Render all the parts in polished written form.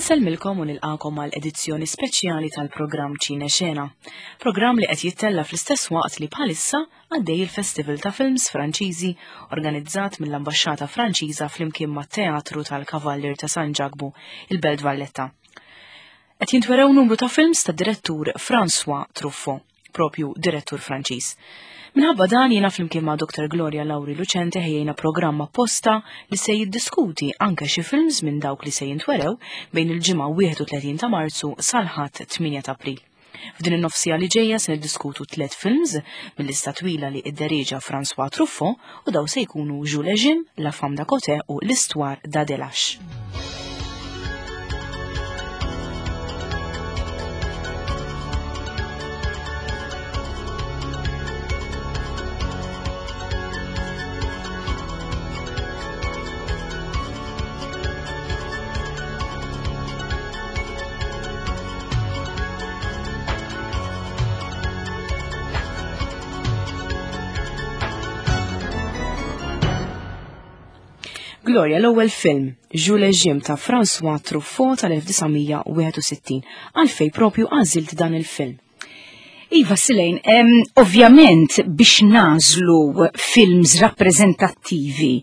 Insellmilkom u nilqakom għal edizzjoni speċjali tal-programm Ċine Xena. Programm li qed jittella fl-istess waqt li bħalissa għaddej il-Festival ta' Films Franċiżi organizzat mill-Ambaxxata Franċiża flimkien mat-Teatru tal-Kavallier ta' San Ġakbu, il-Belt Valletta. Qed jintwerew numru ta' films ta' direttur François Truffaut, propju direttur Franċiż. Minħabba dan jiena flimkien ma' Dr. Gloria Lauri Lucente ħejjejna programm apposta li se jiddiskuti anke xi films minn dawk li se jintwerew bejn il-ġimgħa 31 ta' Marzu sal-Ħadd 8 ta' April. F'din in-nofsija li ġejja se niddiskutu tliet films mill-lista twila li idderieġa François Truffaut u daw se jkunu Jules et Jim, La Femme d'à Côté u L'Histoire d'Adelache. Gloria, l-ewwel film, Jules Jim ta' François Truffaut tal-1961. Għalfej propju għażilt dan il-film? Iva, Silejn, ovvjament biex nażlu films rappreżentattivi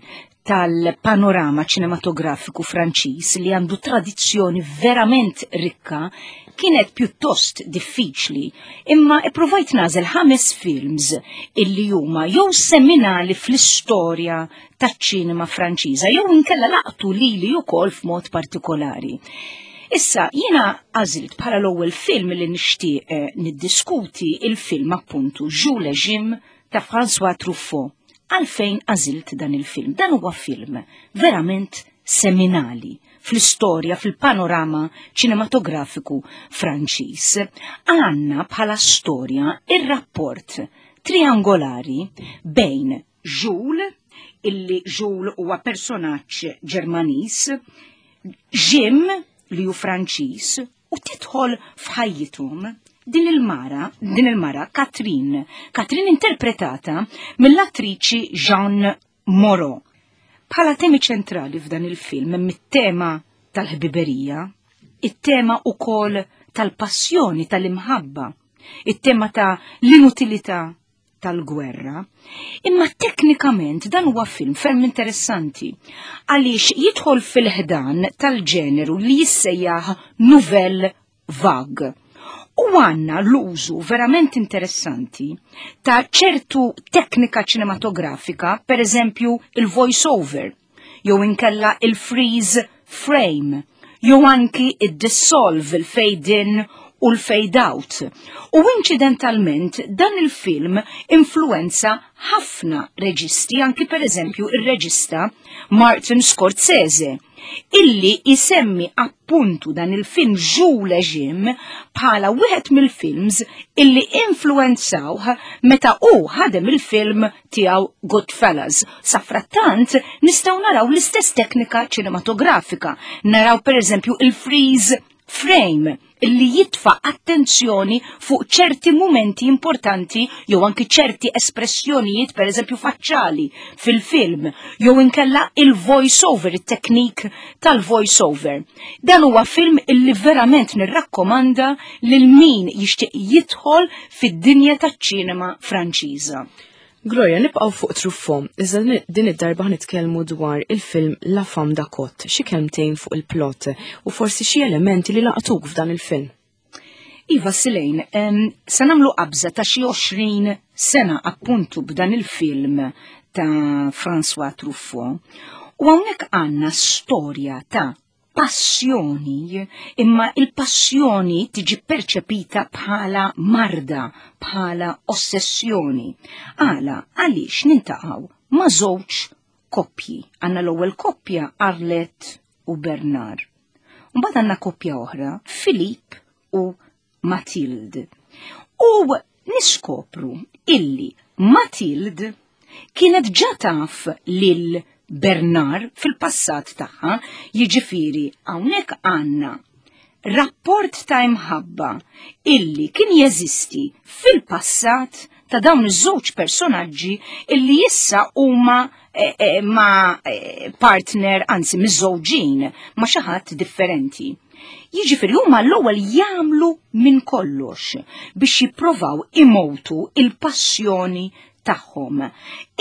tal-panorama ċinematografiku Franċiż li għandu tradizzjoni verament rikka kienet pjuttost diffiċli, imma ippruvajt nażel ħames films illi huma jew seminali fl-istorja taċ-ċinema Franċiża jew inkella laqtu lili wkoll f'mod partikolari. Issa, jiena għażilt bħala l-ewwel film li nixtieq eh, niddiskuti il-film appuntu Jules et Jim ta' François Truffaut. Għalfejn għażilt dan il-film? Dan huwa film verament seminali fl-istorja, fil-panorama ċinematografiku Franċiż. Għanna bħala storja ir-rapport triangolari bejn Jules, illi Jules huwa personaġġ Ġermaniż, Jim li hu Franċiż, u tidħol f'ħajjithom din il-mara, din il-mara Katrin, Katrin interpretata mill-attriċi Jean Moreau. Bħala temi ċentrali f'dan il-film hemm it-tema tal-ħbiberija, it-tema ukoll tal-passjoni, tal-imħabba, it-tema ta' l-inutilità tal-gwerra, imma teknikament dan huwa film ferm interessanti għaliex jidħol fil-ħdan tal-ġeneru li jissejjaħ nouvelle vague. U għanna l-użu verament interessanti ta' ċertu teknika ċinematografika, per eżempju il-voice-over, jew inkella il-freeze frame, jew anki id-dissolve, il-fade in u l-fade out. U inċidentalment dan il-film influenza ħafna reġisti, anki per eżempju il-reġista Martin Scorsese, illi isemmi appuntu dan il-film Jules et Jim bħala wieħed mill-films illi influenzawh meta hu ħadem il-film tiegħu Goodfellas. Safrattant nistgħu naraw l-istess teknika ċinematografika. Naraw pereżempju il-freeze frame illi jitfa' attenzjoni fuq ċerti mumenti importanti jew anki ċerti espressjonijiet pereżempju faċċali fil-film jew inkella il-voice over, it-teknik tal-voice over. Dan huwa film illi verament nirrakkomanda lil min jixtieq jidħol fid-dinja taċ-ċinema Franċiża. Gloria, nibqgħu fuq Truffaut, iżda din id-darba nitkellmu dwar il-film La Femme d'Acot, xi kelmtejn fuq il-plot u forsi xi elementi li laqtuk f'dan il-film. Iva Silejn, se nagħmlu qabża ta' xi 20 sena appuntu b'dan il-film ta' François Truffaut. U hawnhekk għandna storja ta' passjoni, imma il-passjoni tiġi perċepita bħala marda, bħala ossessjoni. Għala, għaliex nintaqgħu ma' żewġ koppji. Għandna l-ewwel koppja Arlette u Bernard. Mbagħad għandna koppja oħra, Filip u Matilde. U niskopru illi Matilde kienet ġa taf lil Bernard fil-passat tagħha, jiġifieri hawnhekk għandna rapport ta' imħabba illi kien jeżisti fil-passat ta' dawn iż-żewġ personaġġi illi issa huma eh, eh, ma' eh, partner, anzi miżżewġin ma' xi ħadd differenti. Jiġifieri huma l-ewwel jagħmlu minn kollox biex jipprovaw imowtu il-passjoni tagħhom.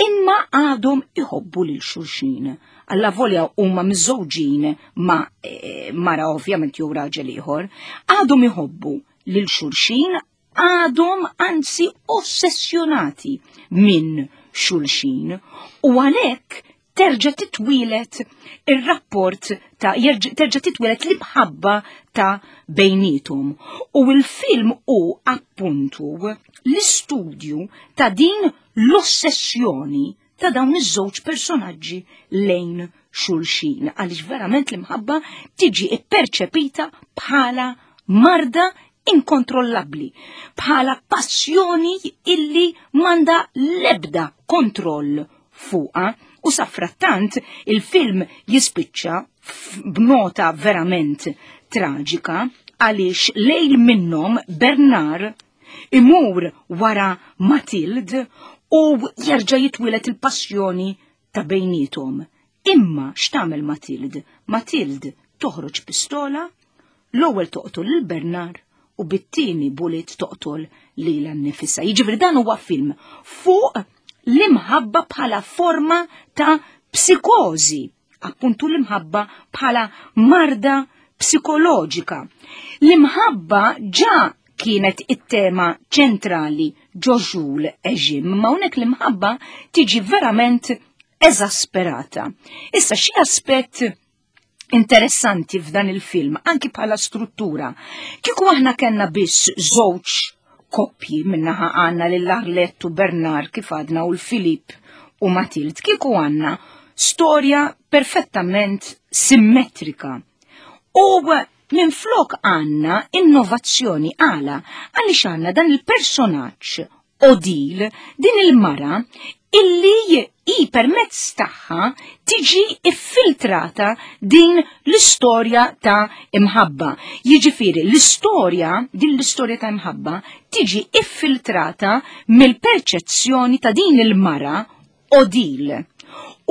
Imma għadhom iħobbu lil xulxin. Alla volja huma miżżewġin ma' eh, mara ovvjament jew raġel ieħor, għadhom iħobbu lil xulxin għadhom anzi ossessjonati minn xulxin u għalhekk terġa' titwieled ir-rapport ta' terġa' titwieled l-imħabba ta' bejnietom. U l-film hu appuntu l-istudju ta' din l-ossessjoni ta' dawn iż-żewġ personaġġi lejn xulxin għaliex verament l-imħabba tiġi ipperċepita bħala marda inkontrollabbli, bħala passjoni illi manda lebda kontroll fuqha u safrattant il-film jispiċċa b'nota verament traġika għaliex lejl minnhom Bernard imur wara Matilde u jerġa' jitwieled il-passjoni ta' bejniethom. Imma x'tagħmel Matilde? Matilde toħroġ pistola, l-ewwel toqtol lil Bernard u bit-tieni bullet toqtol lilha nnifisha. Jiġifieri dan huwa film fuq l-imħabba bħala forma ta' psikożi, appuntu l-imħabba bħala marda psikoloġika. L-imħabba ġa kienet it-tema ċentrali ġo Jules et Jim, ma hawnhekk l-imħabba tiġi verament eżasperata. Issa xi aspett interessanti f'dan il-film, anki bħala struttura. Kieku aħna kellna biss żewġ koppji minnaħa għandna lil Arlette u Bernard kif għadna u l-Filip u Matild, kieku għandna storja perfettament simmetrika. U minn flok għandna innovazzjoni għala għaliex għandna dan il-personaġġ Odile, din il-mara illi i permezz tagħha tiġi iffiltrata din l-istorja ta' imħabba. Jiġifieri l-istorja, din l-istorja ta' imħabba tiġi iffiltrata mill-perċezzjoni ta' din il-mara Odile.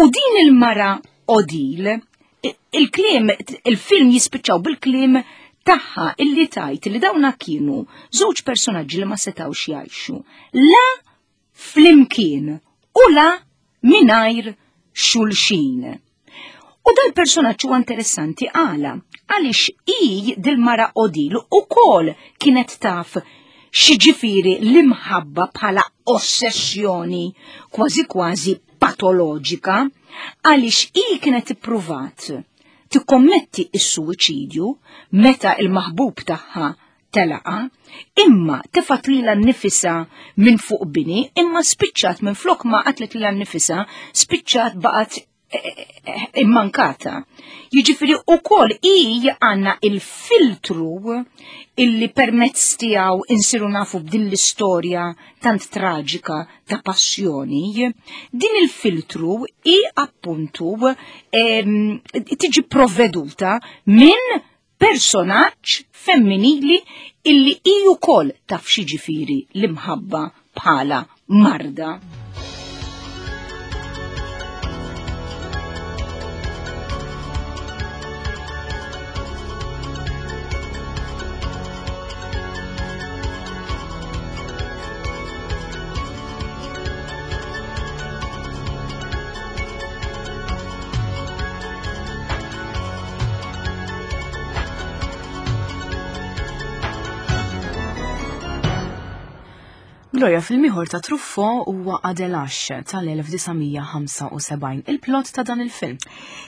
U din il-mara Odile, il-kliem, il-film jispiċċaw bil-kliem tagħha illi tajt li dawna kienu żewġ personaġġi li ma setgħux jgħixu. La flimkien u la mingħajr xulxin. U dal-personaġġ huwa interessanti għala għaliex hi dil-mara Odil ukoll kienet taf x'jiġifieri l-imħabba bħala ossessjoni kważi kważi patoloġika għaliex hi kienet ippruvat tikkommetti s-suwiċidju meta il-maħbub tagħha telaqa, imma tefat lilha nnifisha minn fuq bini, imma spiċċat minn flok ma qatlet lilha nnifisha, spiċċat baqgħet eh, eh, eh, immankata. Jiġifieri ukoll hi għandna il-filtru illi permezz tiegħu insiru nafu b'din l-istorja tant traġika ta' passjoni, din il-filtru hi appuntu tiġi provveduta minn personaġġ femminili illi hi wkoll taf x'jiġifieri l-imħabba bħala marda. Gloria film ieħor ta' Truffaut huwa Adèle Hache tal-1975, il-plot ta' dan il-film.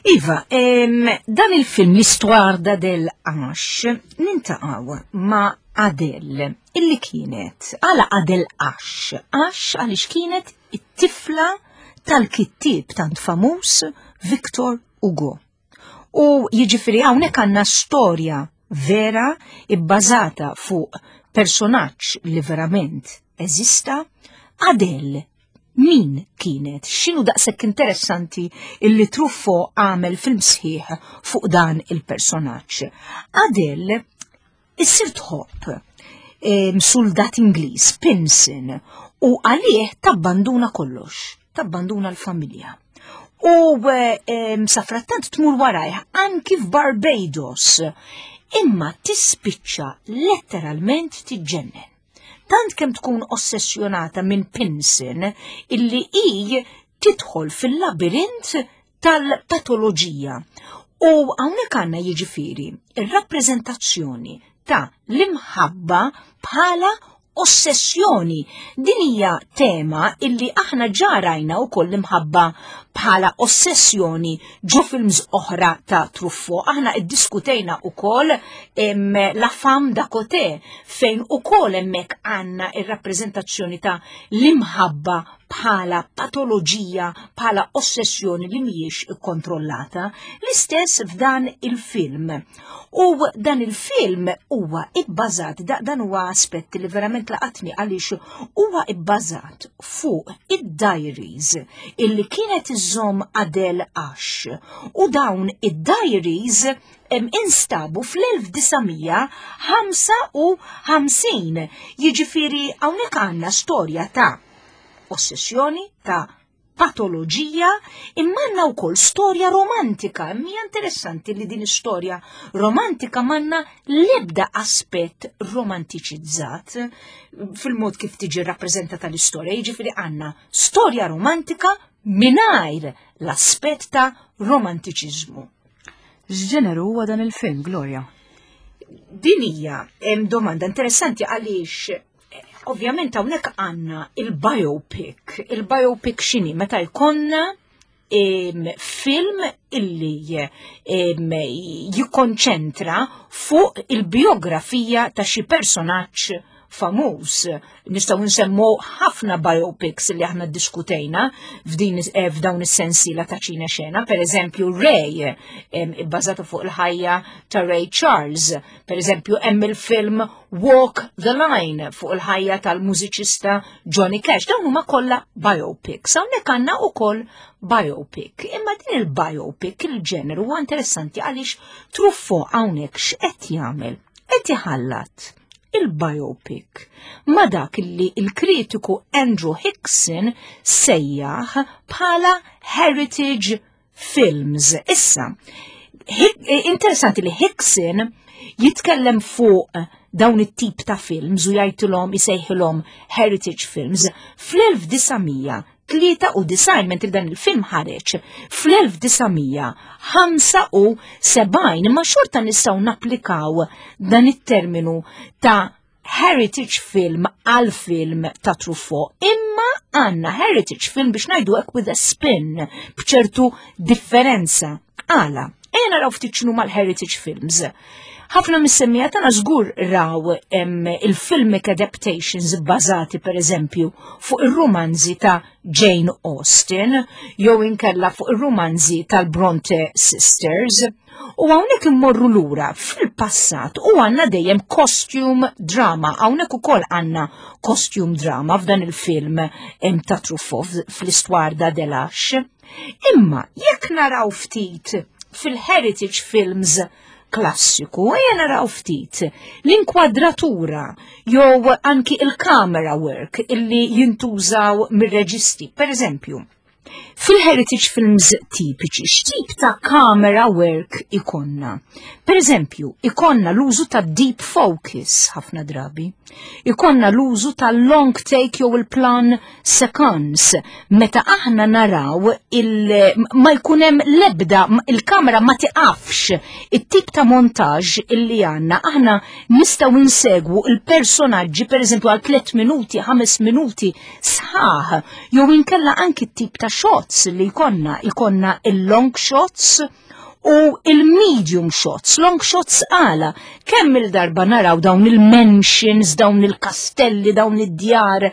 Iva, dan il-film l-Histoire d'Adèle Hache nintaqgħu ma' Adèle illi kienet għala Adèle Hache, Hache għaliex kienet it-tifla tal-kittieb tant famuż Victor Hugo. U jiġifieri hawnhekk għandna storja vera ibbażata fuq personaġġ li verament eżista, Adele min kienet, x'inhu daqshekk interessanti illi Truffaut għamel film sħiħ fuq dan il-personaġġ. Adele issir tħobb soldat Ingliż, Pinson, u għalih tabbanduna kollox, tabbanduna l-familja. U safrattant tmur warajh anki f'Barbados. Imma tispiċċa letteralment tiġġennen. Tant kemm tkun ossessjonata minn Pinson illi hi tidħol fil-labirint tal-patoloġija. U hawnhekk għandna jiġifieri ir-rappreżentazzjoni ta' l-imħabba bħala ossessjoni. Din hija tema illi aħna ġa rajna wkoll l-imħabba bħala ossessjoni ġo films oħra ta' Truffaut. Aħna iddiskutejna wkoll La Femme da Côté fejn ukoll hemmhekk għandna ir-rappreżentazzjoni ta' l-imħabba bħala patoloġija, bħala ossessjoni li mhijiex ikkontrollata. L-istess f'dan il-film. U dan il-film huwa ibbażat, dan huwa aspett li verament laqatni għaliex huwa ibbażat fuq id-diaries illi kienet iżżomm Adele Ash. U dawn id-diaries instabu fl-1955. Jiġifieri hawnhekk għandna storja ta' ossessjoni, ta' patoloġija, imma għandna wkoll storja romantika. Hija interessanti li din istorja romantika m'għandna l-ebda aspett romantiċizzat fil-mod kif tiġi rappreżentata l-istorja. Jiġifieri għandna storja romantika mingħajr l-aspett ta' romantiċiżmu. X'ġeneru huwa dan il-film, Gloria? Din hija domanda interessanti għaliex ovvjament hawnhekk għandna il-biopic. Il-biopic x'inhi meta jkollna film illi jikkonċentra fuq il-biografija ta' xi personaġġ famuż. Nistgħu nsemmu ħafna biopics li aħna ddiskutejna f'din eh, f'dawn is-sensiela ta' ċina xena, per eżempju Ray, ibbażata fuq il-ħajja ta' Ray Charles, per eżempju hemm il-film Walk the Line fuq il-ħajja tal-mużiċista Johnny Cash. Dawn huma kollha biopics. Hawnhekk għandna wkoll biopic. Imma din il-biopic il-ġeneru huwa interessanti għaliex Truffaut hawnhekk x'qed jagħmel? Qed iħallat il-biopic ma dak li il-kritiku Andrew Hickson sejjaħ bħala heritage films. Issa, interessanti li Hickson jitkellem fuq dawn it-tip ta' films u jgħidilhom isejħilhom heritage films fl-1993 mentri dan il-film ħareġ fl-1975 imma xorta nistgħu napplikaw dan it-terminu ta' heritage film għal film ta' Truffaut, imma għanna heritage film biex najdu hekk with a spin, bċertu differenza. Għala, ejja naraw ftit x'inhu mal-heritage films. Ħafna mis-semmija tagħna żgur raw il-filmic adaptations bbażati pereżempju fuq ir-rumanzi ta' Jane Austen jew inkella fuq ir-rumanzi tal-Bronte Sisters. U hawnhekk immorru lura fil-passat u għandna dejjem costume drama. Hawnhekk ukoll għandna costume drama f'dan il-film ta' Truffaut fl-Histoire d'Adèle Hache. Imma jekk naraw ftit fil-heritage films klassiku, ejja naraw ftit l-inkwadratura jew anki il-camera work illi jintużaw mir-reġisti. Per eżempju, Fil-heritage films tipiċi, x'tip ta' camera work ikonna? Per eżempju, ikonna l-użu ta' deep focus ħafna drabi. Ikonna l-użu ta' long take jew il-plan sequence. Meta aħna naraw il ma jkun hemm l-ebda il-kamera ma tiqafx it-tip ta' montaġġ illi għandna aħna nistgħu insegwu il-personaġġi per eżempju għal 3 minuti, 5 minuti sħaħ, jew inkella anki t-tip ta' shots li jkollna, jkollna il-long shots u il-medium shots, long shots għala, kemm il-darba naraw dawn il-mansions, dawn il-kastelli, dawn id-djar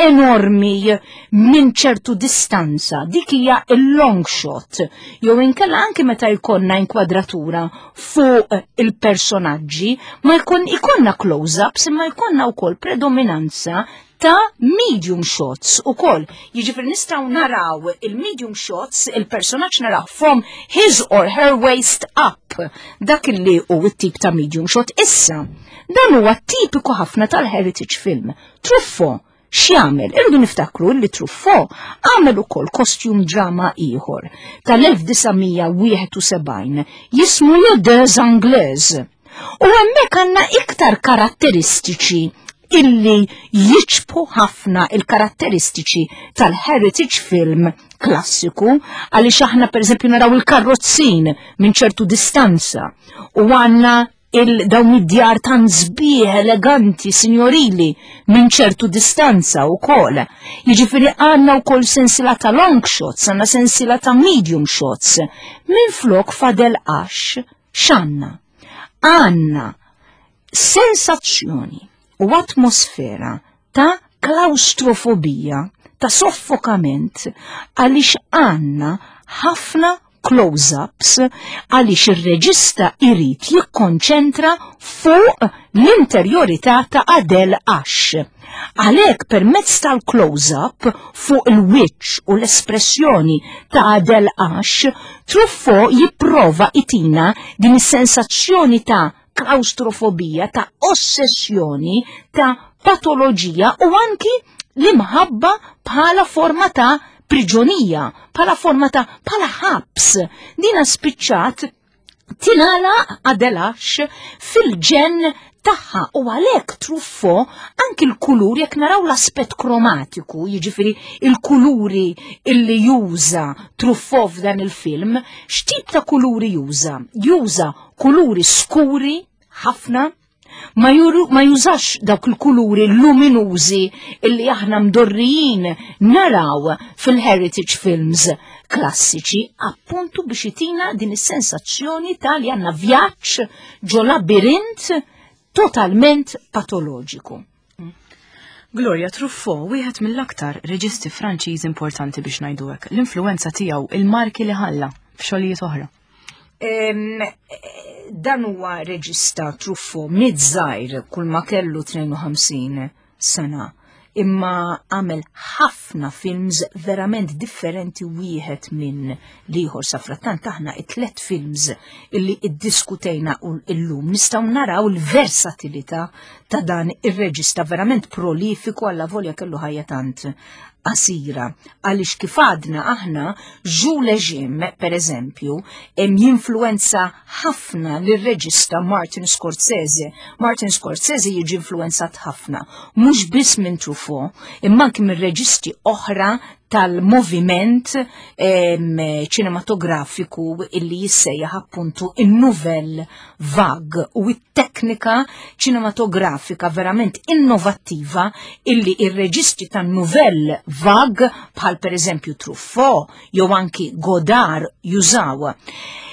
enormi minn ċertu distanza, dik hija il-long shot, jew inkella anki meta jkollna inkwadratura fuq il-personaġġi, ma jkun ikonna close-ups imma jkollna wkoll predominanza ta' medium shots u koll. Jiġifieri nistgħu naraw il-medium shots, il-personaġġ naraw from his or her waist up. Dak li hu t-tip ta' medium shot. Issa, dan huwa tipiku ħafna tal-heritage film. Truffaut, x'jagħmel? Irridu niftakru li Truffaut għamel ukoll costume drama ieħor tal-1971 jismu Les Deux Anglaises. U hemmhekk għandna iktar karatteristiċi illi jiċbu ħafna il-karatteristiċi tal-heritage film klassiku għaliex aħna pereżempju naraw il-karrozzin minn ċertu distanza u għandna il-dawn id-djar tan sbieħ eleganti, signorili, minn ċertu distanza u kol. Jiġifieri għandna wkoll sensila ta' long shots, għandna sensila ta' medium shots. Minn flok fadel għax x'għandna? Għandna sensazzjoni u atmosfera ta' klaustrofobija, ta' soffokament, għaliex għandna ħafna close-ups għaliex ir-reġista irid jikkonċentra fuq l-interjorità ta' Adele Ash. Għalhekk permezz tal-close-up fuq il-wiċċ u l-espressjoni ta' Adele Ash, Truffaut jipprova itina din is-sensazzjoni ta' klaustrofobija, ta' ossessjoni, ta' patoloġija u anki l-imħabba bħala forma ta' priġonija, bħala forma ta' bħala ħabs. Dina spiċċat tinala Adelax fil-ġen tagħha u għalhekk truffo anki l-kulur jekk naraw l-aspett kromatiku, jiġifieri il-kuluri illi juża Truffo f'dan il-film, x'tip ta' kuluri juża? Juża kuluri skuri ħafna, ma, juru, ma jużax dawk il-kuluri luminużi illi aħna mdorrijin naraw fil-heritage films klassiċi, appuntu biex itina din is-sensazzjoni ta' li għandna vjaġġ ġo labirint totalment patoloġiku. Gloria Truffaut, wieħed mill-aktar reġisti Franċiż importanti biex ngħidu hekk, l-influenza tiegħu, il-marki li ħalla f'xogħlijiet oħra. Dan huwa reġista Truffaut mid-żgħir kull ma kellu 52 sena imma għamel ħafna films verament differenti wieħed minn l-ieħor sa frattant aħna it-tlet films illi iddiskutejna u illum nistgħu naraw l-versatilità ta' dan ir-reġista verament prolifiku alla volja kellu ħajja tant qasira għaliex kif għadna aħna Jules Jim per eżempju jinfluenza ħafna lir-reġista Martin Scorsese. Martin Scorsese jiġi influenzat ħafna, mhux biss minn Truffaut, imma anki minn reġisti oħra tal-moviment ċinematografiku illi jissejjaħ appuntu in-Nouvelle Vague u it-teknika ċinematografika verament innovattiva illi ir-reġisti tan-Nouvelle Vague bħal pereżempju Truffaut jew anki Godard jużaw.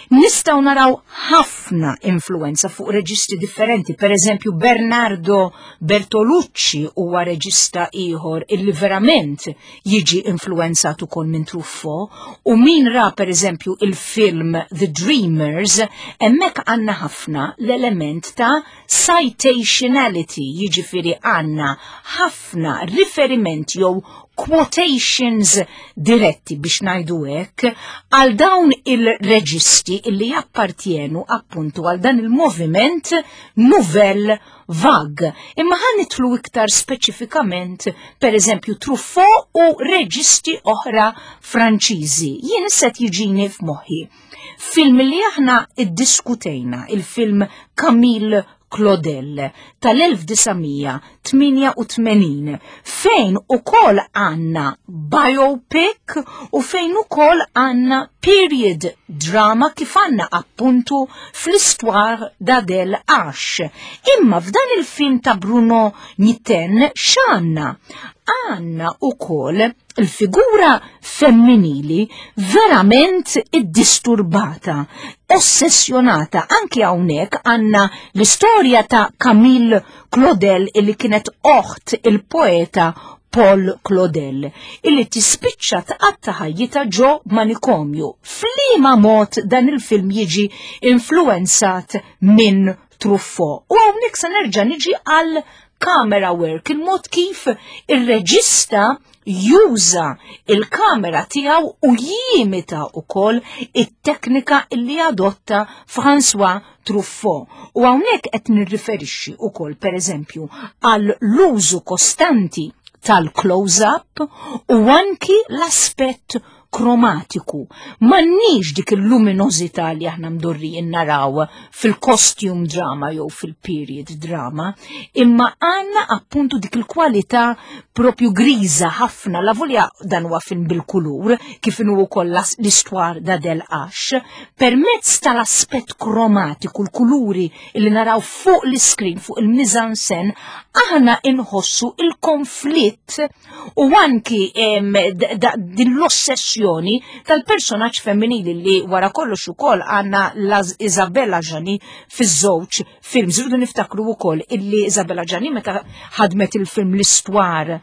Nistgħu naraw ħafna influenza fuq reġisti differenti, per eżempju Bernardo Bertolucci huwa reġista ieħor illi verament jiġi influenzat ukoll minn Truffaut u min ra per eżempju il-film The Dreamers, hemmhekk għandna ħafna l-element ta' citationality, jiġifieri għandna ħafna riferiment jew quotations diretti biex ngħidu hekk għal dawn il-reġisti illi jappartjenu appuntu għal dan il-moviment Nouvelle Vague. Imma ħa nidħlu iktar speċifikament per eżempju Truffaut u reġisti oħra Franċiżi. Jien issa jiġini f'moħħi. Film li aħna iddiskutejna, il-film Camille Claudel tal-1988 fejn ukoll għandna biopic u fejn ukoll għandna period drama kif għandna appuntu fl-istwar d'Adele Ash. Imma f'dan il-film ta' Bruno Nitten x'għandna? Għandna ukoll il-figura femminili verament iddisturbata, ossessjonata. Anki hawnhekk għandna l-istorja ta' Camille Claudel illi kienet oħt il-poeta Paul Claudel illi tispiċċa tqatta ħajjitha ġo manikomju. F'liema mod dan il-film jiġi influenzat minn Truffaut. U hawnhekk se nerġa' niġi għal camera work, il-mod kif ir-reġista juża il-kamera tiegħu u jimita wkoll it-teknika li adotta François Truffaut. U hawnhekk qed nirriferixxi wkoll pereżempju għal l-użu kostanti tal-close-up u anki l-aspett kromatiku. M'għandniex dik il-luminożità li aħna mdorrijin naraw fil-costume drama jew fil-period drama, imma għandna appuntu dik il-kwalità propju griża ħafna, la volja dan huwa film bil-kulur, kif inhu wkoll l-istwar da del Ax, permezz tal-aspett kromatiku, l-kuluri li naraw fuq l-iskrin, fuq il-mizansen, aħna inħossu il-konflitt u anki din l-ossessjoni tal-personaġġ femminili li wara kollox ukoll għandna Isabella Gianni fiż-żewġ films. Irridu niftakru wkoll illi Isabella Gianni meta ħadmet il-film l-istwar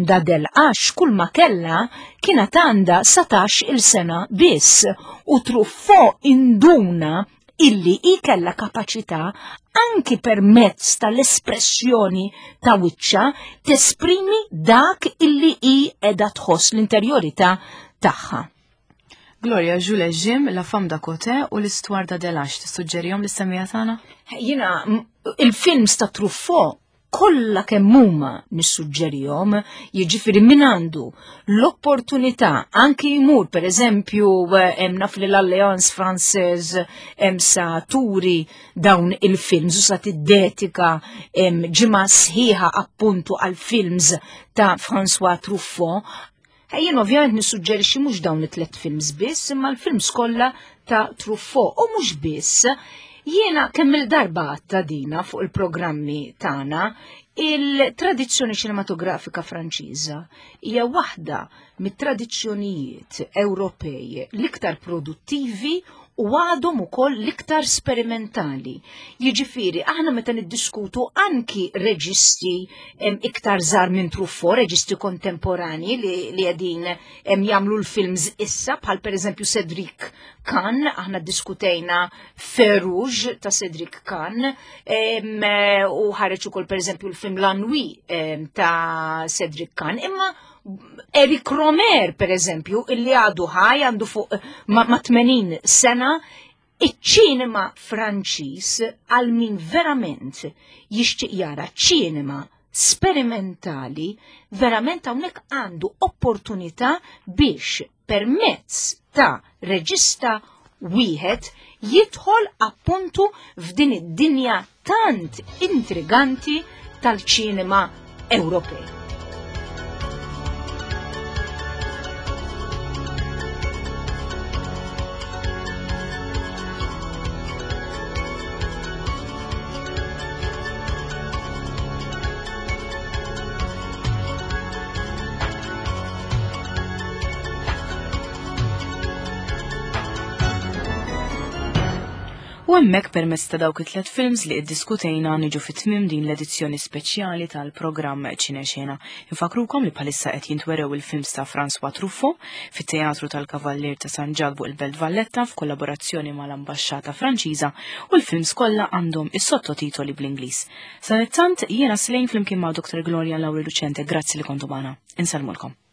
da del għax kull ma kella kienet għandha 17 il-sena biss u Truffaut induna illi hi kellha kapaċità anki permezz tal-espressjoni ta' wiċċa tesprimi dak illi hi qiegħda tħoss l-interjorità tagħha. Gloria, Jules Jim, La Femme da Côté u l-Istwar da Delax, tissuġġerihom lis-semmiegħa tagħna? Jiena il-films ta' Truffaut kollha kemm huma nissuġġerihom, jiġifieri min għandu l-opportunità anki jmur pereżempju hemm naf li l-Alliance Française hemm sa turi dawn il-films u sa tiddedika ġimgħa sħiħa appuntu għal films ta' François Truffaut. Jien ovvjament nissuġġerixxi mhux dawn it-tlet films biss, imma l-films kollha ta' Truffaut u mhux biss. Jiena kemm il-darba għadta dina fuq il-programmi tagħna, il-tradizzjoni ċinematografika Franċiża hija waħda mit-tradizzjonijiet Ewropej l-iktar produttivi u għadhom ukoll l-iktar sperimentali. Jiġifieri aħna meta niddiskutu anki reġisti iktar żgħar minn Truffaut, reġisti kontemporani li qegħdin jagħmlu l-films issa bħal pereżempju Cedric Kahn, aħna ddiskutejna Feu Rouge ta' Cedric Kahn, u ħareġ ukoll pereżempju l-film La Nuit ta' Cedric Kahn, imma Eric Romer, per eżempju, illi għadu ħaj, għandu fuq ma' 80 sena, iċ-ċinema Franċiż għal min verament jixtieq jara ċinema sperimentali, verament hawnhekk għandu opportunità biex permezz ta' reġista wieħed jidħol appuntu f'din id-dinja tant intriganti tal-ċinema Ewropej. U hemmhekk permezz ta' dawk it-tlet films li iddiskutejna niġu fi tmiem din l-edizzjoni speċjali tal-programm Ċinexena. Infakrukom li bħalissa qed jintwerew il-films ta' François Truffaut fit-Teatru tal-Kavallier ta' San Ġakbu il-Belt Valletta f'kollaborazzjoni mal-Ambaxxata Franċiża u l-films kollha għandhom is-sottotitoli bl-Ingliż. Sadanittant jiena Slane flimkien ma' Dr. Gloria Lauri Lucente grazzi li kontu magħna. Insellmulkom.